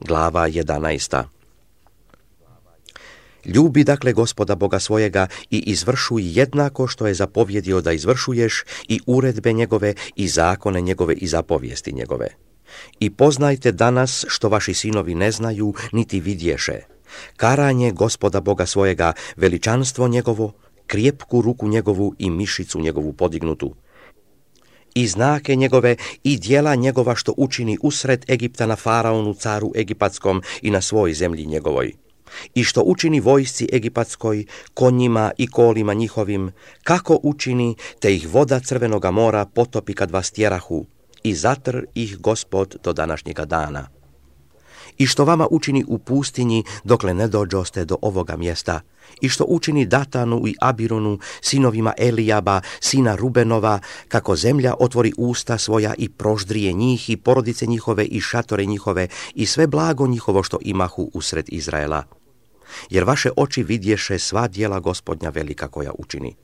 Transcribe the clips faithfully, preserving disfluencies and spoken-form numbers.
Glava jedanaesta. Ljubi dakle Gospoda Boga svojega i izvršuj jednako što je zapovjedio da izvršuješ i uredbe njegove i zakone njegove i zapovijesti njegove. I poznajte danas što vaši sinovi ne znaju niti vidješe, karanje Gospoda Boga svojega, veličanstvo njegovo, krijepku ruku njegovu i mišicu njegovu podignutu, i znake njegove i djela njegova što učini usred Egipta na faraonu caru egipatskom i na svoj zemlji njegovoj, i što učini vojsci egipatskoj, konjima i kolima njihovim, kako učini, te ih voda Crvenoga mora potopi kad vas tjerahu, i zatr ih Gospod do današnjega dana. I što vama učini u pustinji dokle ne dođoste do ovoga mjesta, i što učini Datanu i Abironu, sinovima Elijaba, sina Rubenova, kako zemlja otvori usta svoja i proždrije njih i porodice njihove i šatore njihove i sve blago njihovo što imahu usred Izraela. Jer vaše oči vidješe sva djela Gospodnja velika koja učini.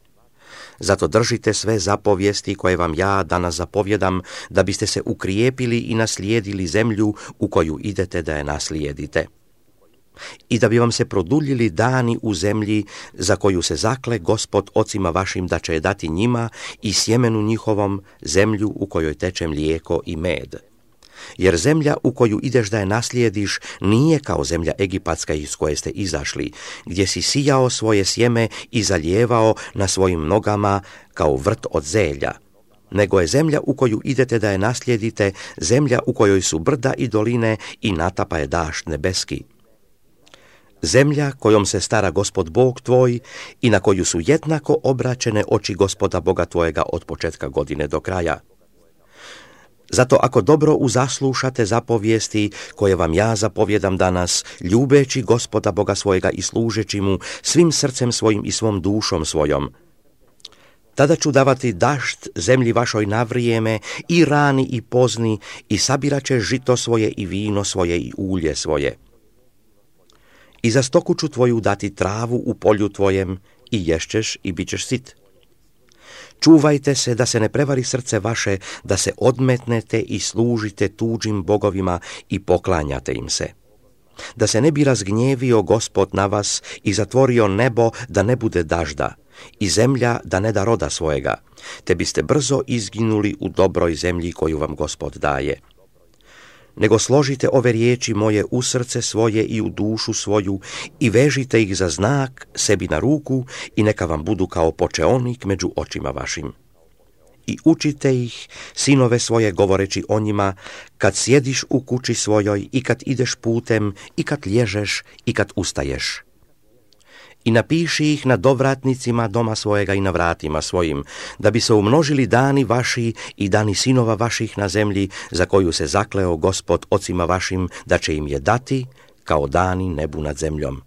Zato držite sve zapovijesti koje vam ja danas zapovjedam, da biste se ukrijepili i naslijedili zemlju u koju idete da je naslijedite. I da bi vam se produljili dani u zemlji za koju se zakle Gospod ocima vašim da će je dati njima i sjemenu njihovom, zemlju u kojoj teče mlijeko i med. Jer zemlja u koju ideš da je naslijediš nije kao zemlja egipatska iz koje ste izašli, gdje si sijao svoje sjeme i zalijevao na svojim nogama kao vrt od zelja, nego je zemlja u koju idete da je naslijedite, zemlja u kojoj su brda i doline i natapa je dašt nebeski. Zemlja kojom se stara Gospod Bog tvoj i na koju su jednako obraćene oči Gospoda Boga tvojega od početka godine do kraja. Zato ako dobro uzaslušate zapovijesti koje vam ja zapovjedam danas, ljubeći Gospoda Boga svojega i služeći mu svim srcem svojim i svom dušom svojom, tada ću davati dašt zemlji vašoj na vrijeme i rani i pozni i sabirat će žito svoje i vino svoje i ulje svoje. I za stoku ću tvoju dati travu u polju tvojem i ješćeš i bit ćeš sit. Čuvajte se da se ne prevari srce vaše, da se odmetnete i služite tuđim bogovima i poklanjate im se. Da se ne bi razgnjevio Gospod na vas i zatvorio nebo da ne bude dažda i zemlja da ne da roda svojega, te biste brzo izginuli u dobroj zemlji koju vam Gospod daje. Nego složite ove riječi moje u srce svoje i u dušu svoju i vežite ih za znak sebi na ruku i neka vam budu kao počeonik među očima vašim. I učite ih, sinove svoje, govoreći o njima, kad sjediš u kući svojoj i kad ideš putem i kad lježeš i kad ustaješ. I napiši ih na dovratnicima doma svojega i na vratima svojim, da bi se umnožili dani vaši i dani sinova vaših na zemlji, za koju se zakleo Gospod ocima vašim da će im je dati, kao dani nebu nad zemljom.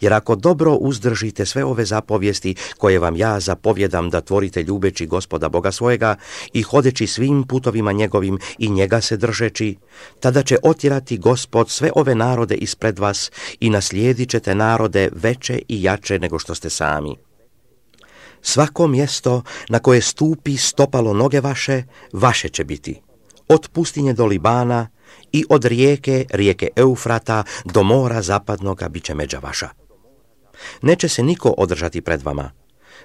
Jer ako dobro uzdržite sve ove zapovijesti koje vam ja zapovjedam da tvorite ljubeći Gospoda Boga svojega i hodeći svim putovima njegovim i njega se držeći, tada će otjerati Gospod sve ove narode ispred vas i naslijedit ćete narode veće i jače nego što ste sami. Svako mjesto na koje stupi stopalo noge vaše, vaše će biti, od pustinje do Libana i od rijeke, rijeke Eufrata, do mora zapadnoga bit će međa vaša. Neće se niko održati pred vama.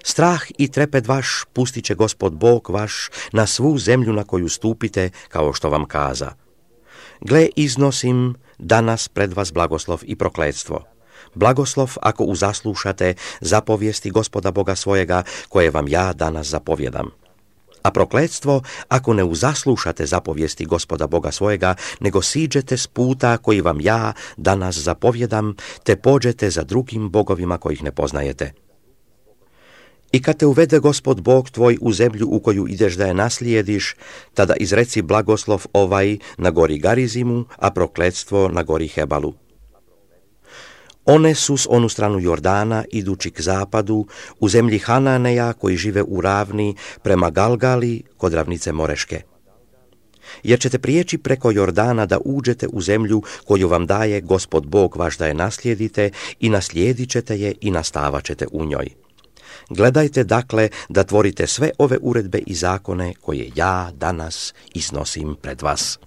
Strah i trepet vaš pustit će Gospod Bog vaš na svu zemlju na koju stupite, kao što vam kaza. Gle, iznosim danas pred vas blagoslov i prokletstvo. Blagoslov ako uzaslušate zapovijesti Gospoda Boga svojega, koje vam ja danas zapovjedam. A prokletstvo ako ne uzaslušate zapovijesti Gospoda Boga svojega, nego siđete s puta koji vam ja danas zapovjedam, te pođete za drugim bogovima kojih ne poznajete. I kad te uvede Gospod Bog tvoj u zemlju u koju ideš da je naslijediš, tada izreci blagoslov ovaj na gori Garizimu, a prokletstvo na gori Hebalu. One su s onu stranu Jordana, idući k zapadu, u zemlji Hananeja koji žive u ravni, prema Galgali, kod ravnice Moreške. Jer ćete prijeći preko Jordana da uđete u zemlju koju vam daje Gospod Bog vaš da je naslijedite i naslijedit ćete je i nastavat ćete u njoj. Gledajte dakle da tvorite sve ove uredbe i zakone koje ja danas iznosim pred vas.